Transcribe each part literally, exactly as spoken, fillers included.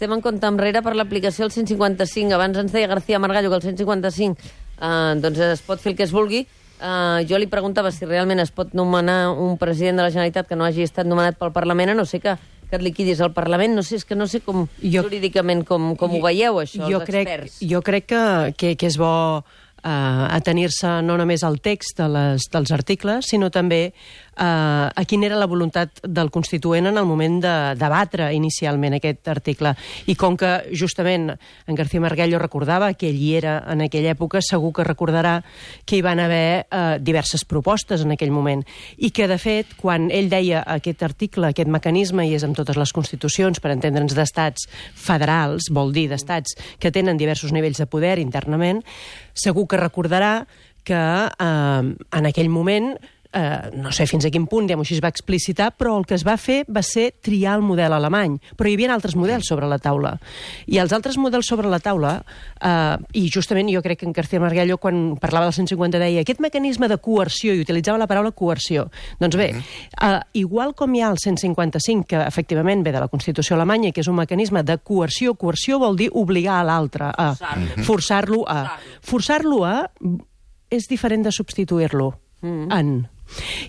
estem en compte enrere per l'aplicació del cent cinquanta-cinc. Abans ens deia García Margallo que el cent cinquanta-cinc eh, doncs es pot fer el que es vulgui. Eh, jo li preguntava si realment es pot nomenar un president de la Generalitat que no hagi estat nomenat pel Parlament, a no sé que, que et liquidis al Parlament. No sé, és que no sé com jo, jurídicament com, com ho veieu, això, jo els crec, experts. Jo crec que, que, que és bo Uh, atenir-se no només al text de les, dels articles, sinó també uh, a quina era la voluntat del Constituent en el moment de debatre inicialment aquest article. I com que justament en García Margallo recordava que ell hi era en aquella època, segur que recordarà que hi van haver uh, diverses propostes en aquell moment. I que, de fet, quan ell deia aquest article, aquest mecanisme, i és amb totes les constitucions, per entendre'ns, d'estats federals, vol dir d'estats que tenen diversos nivells de poder internament, segur que recordarà que eh, en aquell moment, eh, no sé fins a quin punt, diguem-ho així, es va explicitar, però el que es va fer va ser triar el model alemany. Però hi havia altres models sobre la taula. I els altres models sobre la taula, eh, i justament jo crec que en García Margallo, quan parlava del cent cinquanta, deia aquest mecanisme de coerció, i utilitzava la paraula coerció. Doncs bé, eh, igual com hi ha el cent cinquanta-cinc, que efectivament ve de la Constitució alemanya, que és un mecanisme de coerció, coerció vol dir obligar a l'altre, a forçar-lo a... Forçar-lo a és diferent de substituir-lo en...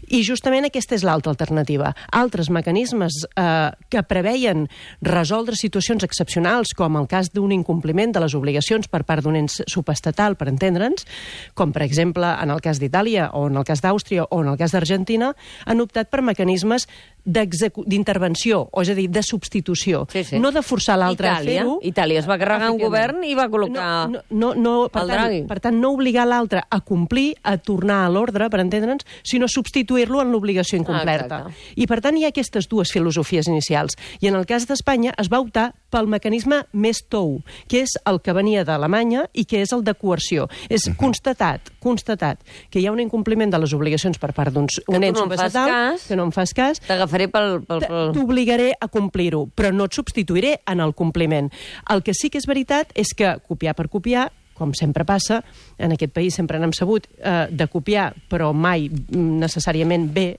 I justament aquesta és l'altra alternativa. Altres mecanismes eh, que preveien resoldre situacions excepcionals, com el cas d'un incompliment de les obligacions per part d'un ens subestatal, per entendre'ns, com per exemple en el cas d'Itàlia o en el cas d'Àustria o en el cas d'Argentina, han optat per mecanismes d'intervenció, o és a dir, de substitució. Sí, sí. No de forçar l'altre a fer-ho. Itàlia es va carregar un govern i va col·locar no, no, no, per el tant, Draghi. Per tant, no obligar l'altre a complir, a tornar a l'ordre, per entendre'ns, sinó substituir-lo en l'obligació incomplerta. Ah, I per tant hi ha aquestes dues filosofies inicials. I en el cas d'Espanya es va optar pel mecanisme més tou, que és el que venia d'Alemanya i que és el de coerció. És uh-huh. constatat, constatat, que hi ha un incompliment de les obligacions per part d'un ens subestatal, que no em fas cas, t'agafaré pel... pel, pel... t'obligaré a complir-ho, però no et substituiré en el compliment. El que sí que és veritat és que copiar per copiar, com sempre passa, en aquest país sempre n'hem sabut eh, de copiar, però mai necessàriament bé,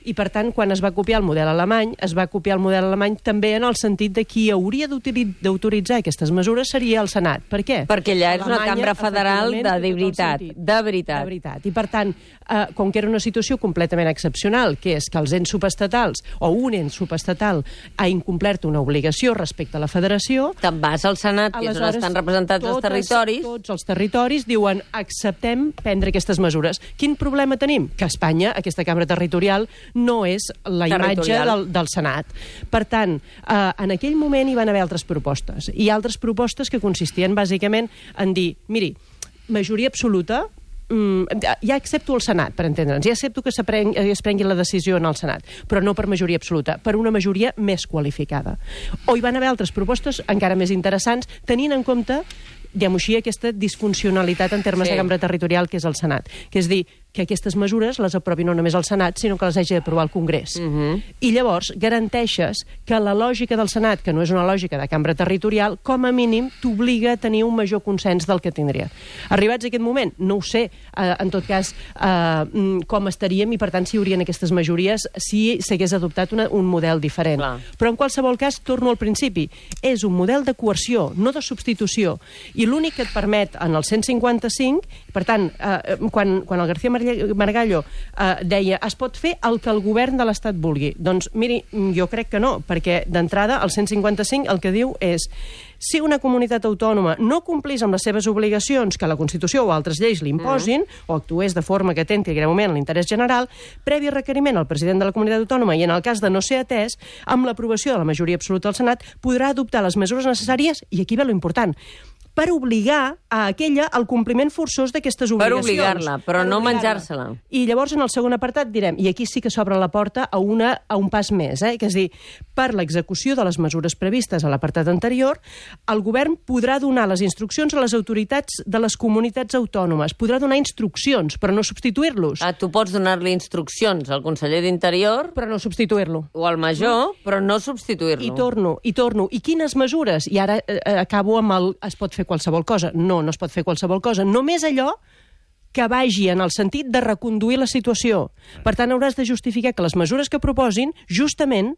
i per tant, quan es va copiar el model alemany, es va copiar el model alemany també en el sentit de qui hauria d'autoritzar aquestes mesures seria el Senat. Per què? Perquè allà és una cambra federal de, de veritat, de veritat. De veritat. I per tant, eh, com que era una situació completament excepcional, que és que els ens subestatals, o un ens subestatal, ha incomplert una obligació respecte a la federació... Te'n vas al Senat, que és on estan representats totes, els territoris... Tots els territoris diuen acceptem prendre aquestes mesures. Quin problema tenim? Que Espanya, aquesta cambra territorial, no és la imatge del, del Senat. Per tant, eh, en aquell moment hi van haver altres propostes. I altres propostes que consistien bàsicament en dir, miri, majoria absoluta, mm, ja accepto el Senat, per entendre'ns, ja accepto que es prengui la decisió en el Senat, però no per majoria absoluta, per una majoria més qualificada. O hi van haver altres propostes encara més interessants, tenint en compte, diguem-ho així, aquesta disfuncionalitat en termes sí. de cambra territorial que és el Senat. Que és dir, que aquestes mesures les aprovi no només el Senat, sinó que les hagi d'aprovar el Congrés. Uh-huh. I llavors garanteixes que la lògica del Senat, que no és una lògica de cambra territorial, com a mínim t'obliga a tenir un major consens del que tindria. Arribats a aquest moment, no ho sé, eh, en tot cas, eh, com estaríem i, per tant, si hi haurien aquestes majories si s'hagués adoptat una, un model diferent. Clar. Però, en qualsevol cas, torno al principi. És un model de coerció, no de substitució. I l'únic que et permet en el cent cinquanta-cinc, per tant, eh, quan, quan el García Margallo eh, deia es pot fer el que el govern de l'Estat vulgui. Doncs, miri, jo crec que no, perquè d'entrada el cent cinquanta-cinc el que diu és si una comunitat autònoma no complís amb les seves obligacions que la Constitució o altres lleis li imposin, mm. o actués de forma que atenti greument a l'interès general, previ requeriment al president de la comunitat autònoma i en el cas de no ser atès, amb l'aprovació de la majoria absoluta del Senat, podrà adoptar les mesures necessàries, i aquí ve lo important, per obligar a aquella al compliment forçós d'aquestes obligacions. Per obligar-la, però per no menjar-se-la. I llavors, en el segon apartat, direm, i aquí sí que s'obre la porta a, una, a un pas més, eh? que és dir, per l'execució de les mesures previstes a l'apartat anterior, el govern podrà donar les instruccions a les autoritats de les comunitats autònomes. Podrà donar instruccions, però no substituir-los. Ah, tu pots donar-li instruccions al conseller d'Interior... Però no substituir-lo. O al major, mm. però no substituir-lo. I torno, i torno. I quines mesures? I ara eh, acabo amb el... Es pot fer qualsevol cosa. No, no es pot fer qualsevol cosa. Només allò que vagi en el sentit de reconduir la situació. Per tant, hauràs de justificar que les mesures que proposin, justament,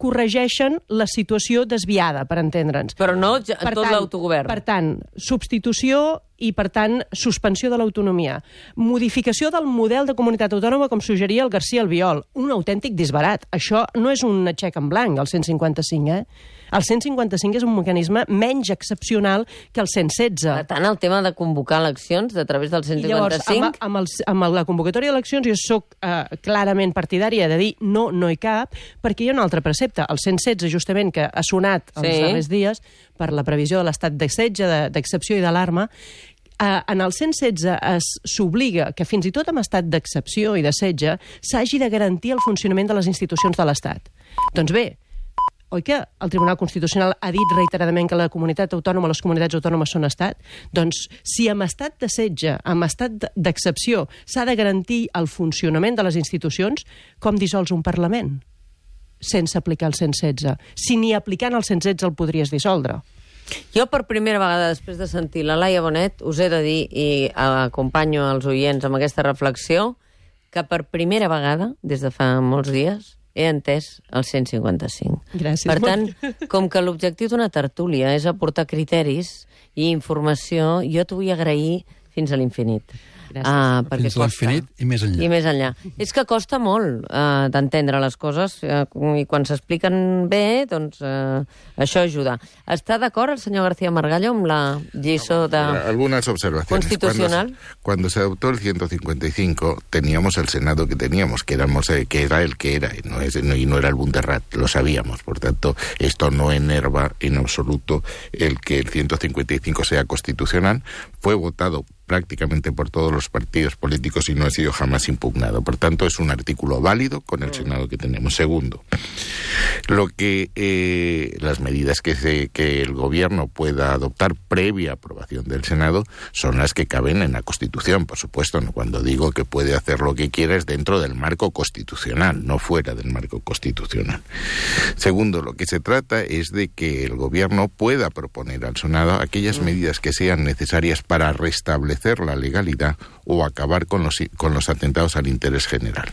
corregeixen la situació desviada, per entendre'ns. Però no ja, per tot tant, l'autogovern. Per tant, substitució i, per tant, suspensió de l'autonomia. Modificació del model de comunitat autònoma, com suggeria el García Albiol. Un autèntic disbarat. Això no és un xec en blanc, el cent cinquanta-cinc, eh? El cent cinquanta-cinc és un mecanisme menys excepcional que el cent setze. Per tant, el tema de convocar eleccions a través del cent cinquanta-cinc... I llavors, amb, amb, el, amb la convocatòria d'eleccions jo soc eh, clarament partidària de dir no, no hi cap, perquè hi ha un altre precepte. El cent setze, justament, que ha sonat els sí. darrers dies per la previsió de l'estat de setge, d'excepció i d'alarma, eh, en el cent setze s'obliga que fins i tot en estat d'excepció i de setge s'hagi de garantir el funcionament de les institucions de l'Estat. Doncs bé, oi que el Tribunal Constitucional ha dit reiteradament que la comunitat autònoma, les comunitats autònomes són estat? Doncs si amb estat de setge, amb estat d'excepció, s'ha de garantir el funcionament de les institucions, com dissols un Parlament sense aplicar el cent setze? Si ni aplicant el cent setze el podries dissoldre. Jo, per primera vegada, després de sentir la Laia Bonet, us he de dir, i acompanyo els oients amb aquesta reflexió, que per primera vegada, des de fa molts dies, he entès el cent cinquanta-cinc. Gràcies. Per tant, com que l'objectiu d'una tertúlia és aportar criteris i informació, jo t'ho vull agrair fins a l'infinit. Ah, fins a l'infinit i més enllà. I més enllà. És que costa molt uh, d'entendre les coses uh, i quan s'expliquen bé, doncs uh, això ajuda. Està d'acord el senyor García Margallo amb la lliçó de... Algunas observaciones. Constitucional. Cuando, cuando se adoptó el ciento cincuenta y cinco, teníamos el Senado que teníamos, que, éramos, que era el que era, y no, es, no, y no era el Bunderrat, lo sabíamos. Por tanto, esto no enerva en absoluto el que el ciento cincuenta y cinco sea constitucional. Fue votado prácticamente por todos los partidos políticos y no ha sido jamás impugnado. Por tanto, es un artículo válido con el Senado que tenemos. Segundo, lo que eh, las medidas que, se, que el Gobierno pueda adoptar previa aprobación del Senado son las que caben en la Constitución, por supuesto. ¿no? Cuando digo que puede hacer lo que quiera es dentro del marco constitucional, no fuera del marco constitucional. Segundo, lo que se trata es de que el Gobierno pueda proponer al Senado aquellas medidas que sean necesarias para restablecer la legalidad o acabar con los, con los atentados al interés general.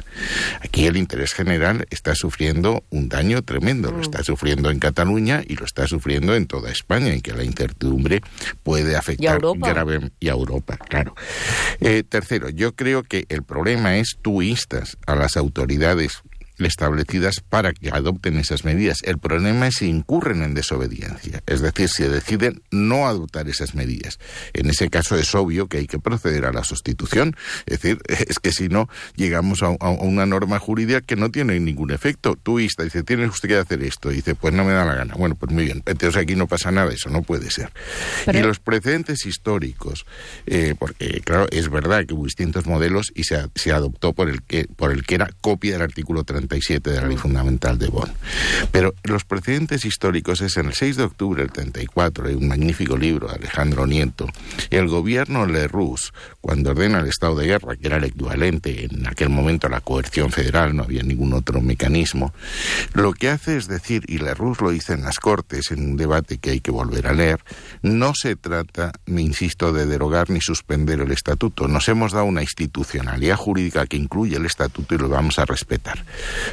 Aquí el interés general está sufriendo un daño tremendo, lo está sufriendo en Cataluña y lo está sufriendo en toda España, en que la incertidumbre puede afectar grave y a Europa, claro. Eh, tercero, yo creo que el problema es tú instas a las autoridades establecidas para que adopten esas medidas. El problema es si incurren en desobediencia, es decir, si deciden no adoptar esas medidas. En ese caso es obvio que hay que proceder a la sustitución, es decir, es que si no llegamos a, a una norma jurídica que no tiene ningún efecto. Tú insta, dice, tiene usted que hacer esto, y dice, pues no me da la gana. Bueno, pues muy bien, entonces aquí no pasa nada, eso no puede ser. Pero... Y los precedentes históricos, eh, porque claro, es verdad que hubo distintos modelos y se, se adoptó por el que por el que era copia del artículo treinta y siete de la Ley Fundamental de Bonn. Pero los precedentes históricos es en el seis de octubre del treinta y cuatro, hay un magnífico libro de Alejandro Nieto, el gobierno Lerroux, cuando ordena el estado de guerra, que era el equivalente en aquel momento a la coerción federal, no había ningún otro mecanismo, lo que hace es decir, y Lerroux lo dice en las Cortes, en un debate que hay que volver a leer, no se trata, me insisto, de derogar ni suspender el estatuto. Nos hemos dado una institucionalidad jurídica que incluye el estatuto y lo vamos a respetar.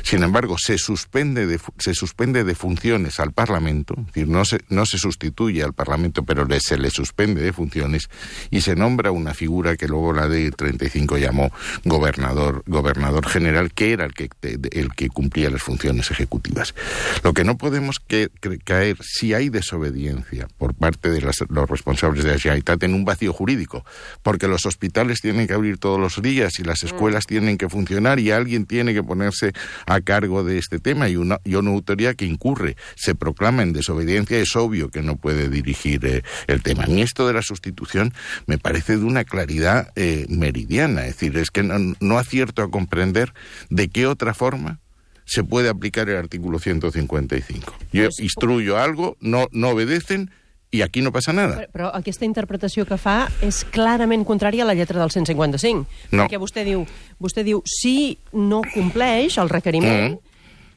Sin embargo, se suspende de, se suspende de funciones al Parlamento, es decir, no se, no se sustituye al Parlamento, pero le, se le suspende de funciones y se nombra una figura que luego la ley treinta y cinco llamó gobernador, gobernador general, que era el que, el que cumplía las funciones ejecutivas. Lo que no podemos que, que, caer, si hay desobediencia por parte de las, los responsables de la Generalitat, en un vacío jurídico, porque los hospitales tienen que abrir todos los días y las escuelas mm. tienen que funcionar y alguien tiene que ponerse a cargo de este tema, y una, y una autoridad que incurre, se proclama en desobediencia, es obvio que no puede dirigir eh, el tema. Y esto de la sustitución me parece de una claridad eh, meridiana, es decir, es que no, no acierto a comprender de qué otra forma se puede aplicar el artículo ciento cincuenta y cinco. Yo instruyo algo, no, no obedecen, i aquí no passa nada. Però, però aquesta interpretació que fa és clarament contrària a la lletra del cent cinquanta-cinc. No. Perquè vostè diu, vostè diu, si no compleix el requeriment, mm.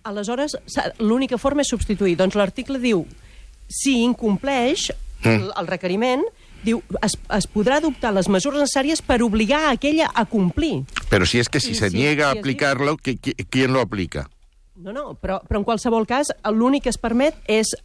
aleshores l'única forma és substituir. Doncs l'article diu, si incompleix mm. el, el requeriment, diu, es, es podrà adoptar les mesures necessàries per obligar a aquella a complir. Però si és que si I se si, niega si a aplicar-lo, ¿quién lo aplica? No, no, però, però en qualsevol cas l'únic que es permet és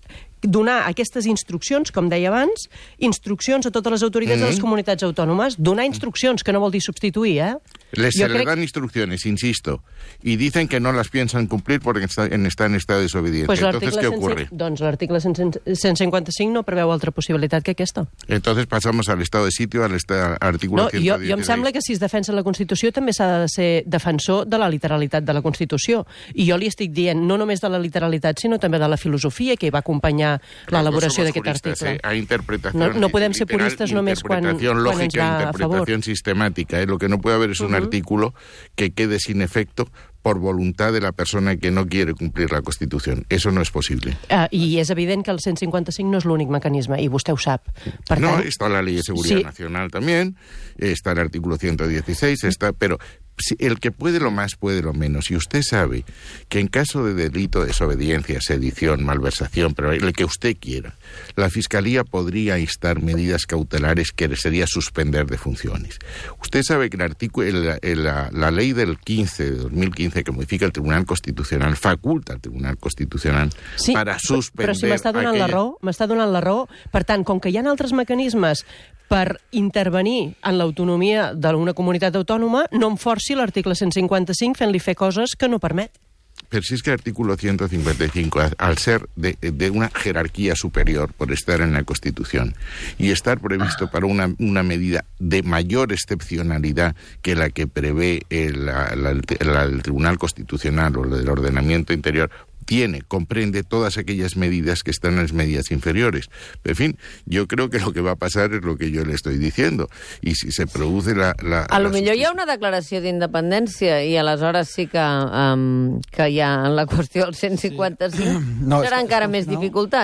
donar aquestes instruccions, com deia abans, instruccions a totes les autoritats mm-hmm. de les comunitats autònomes, donar instruccions, que no vol dir substituir, eh? Les se crec... le dan instrucciones, insisto, y dicen que no las piensan cumplir porque está en, está en estado de desobediencia. Pues Entonces, ¿qué cent... ocurre? Doncs l'article cent cinquanta-cinc no preveu altra possibilitat que aquesta. Entonces pasamos al estado de sitio, al artículo no, ciento dieciséis. Jo, jo em sembla que si es defensa la Constitució també s'ha de ser defensor de la literalitat de la Constitució. I jo li estic dient no només de la literalitat, sinó també de la filosofia que hi va acompanyar l'elaboració d'aquest article. Eh? Hay interpretación no, no podem ser literal, puristes només quan, interpretación quan lógica, ens va a favor. interpretación sistemática. ¿eh? Lo que no puede haber es un uh-huh. artículo que quede sin efecto por voluntad de la persona que no quiere cumplir la Constitución. Eso no es posible. Uh, I és evident que el cent cinquanta-cinc no és l'únic mecanisme, i vostè ho sap. Per no, tant, está la Ley de Seguridad sí. Nacional también, está el artículo ciento dieciséis, está, pero si el que puede lo más puede lo menos. Y usted sabe que en caso de delito, desobediencia, sedición, malversación, pero el que usted quiera, la Fiscalía podría instar medidas cautelares que sería suspender de funciones. Usted sabe que el artículo, el, el, la, la ley del quince, de dos mil quince, que modifica el Tribunal Constitucional, faculta al Tribunal Constitucional sí, para suspender... Però si m'està donant aquella... la raó, m'està donant la raó. Per tant, com que hi ha altres mecanismes per intervenir en l'autonomia d'una comunitat autònoma, no em forci l'article cent cinquanta-cinc fent-li fer coses que no permet. Pero si es que el artículo ciento cincuenta y cinco, al ser de, de una jerarquía superior por estar en la Constitución y estar previsto para una, una medida de mayor excepcionalidad que la que prevé el, la, la, la, el Tribunal Constitucional o el ordenamiento interior, tiene, comprende todas aquellas medidas que están en las medidas inferiores. En fin, yo creo que lo que va a pasar es lo que yo le estoy diciendo. I si se produce la... la a lo la millor hi ha una declaració d'independència i aleshores sí que, um, que hi ha en la qüestió del cent cinquanta-cinc sí. no, serà encara més no? dificultat.